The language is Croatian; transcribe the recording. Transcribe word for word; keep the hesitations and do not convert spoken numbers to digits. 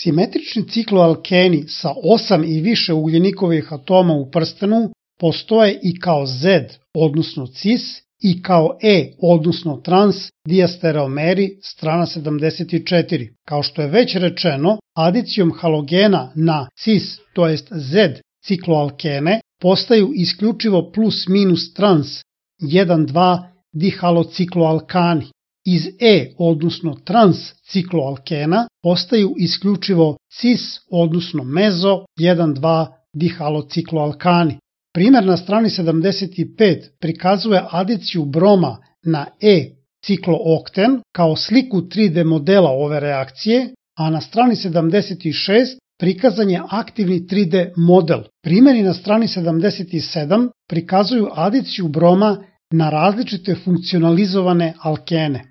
Simetrični cikloalkeni sa osam i više ugljenikovih atoma u prstenu postoje i kao Z, odnosno cis, i kao E, odnosno trans diastereomeri, strana sedamdeset četiri. Kao što je već rečeno, adicijom halogena na cis, to jest Z cikloalkene, postaju isključivo plus minus trans jedan dva dihalocikloalkani. Iz E, odnosno trans cikloalkena, postaju isključivo cis, odnosno mezo jedan dva dihalocikloalkani. Primer na strani sedamdeset pet prikazuje adiciju broma na E ciklookten kao sliku tri D modela ove reakcije, a na strani sedamdeset šest prikazan je aktivni tri D model. Primeri na strani sedamdeset sedam prikazuju adiciju broma na različite funkcionalizovane alkene.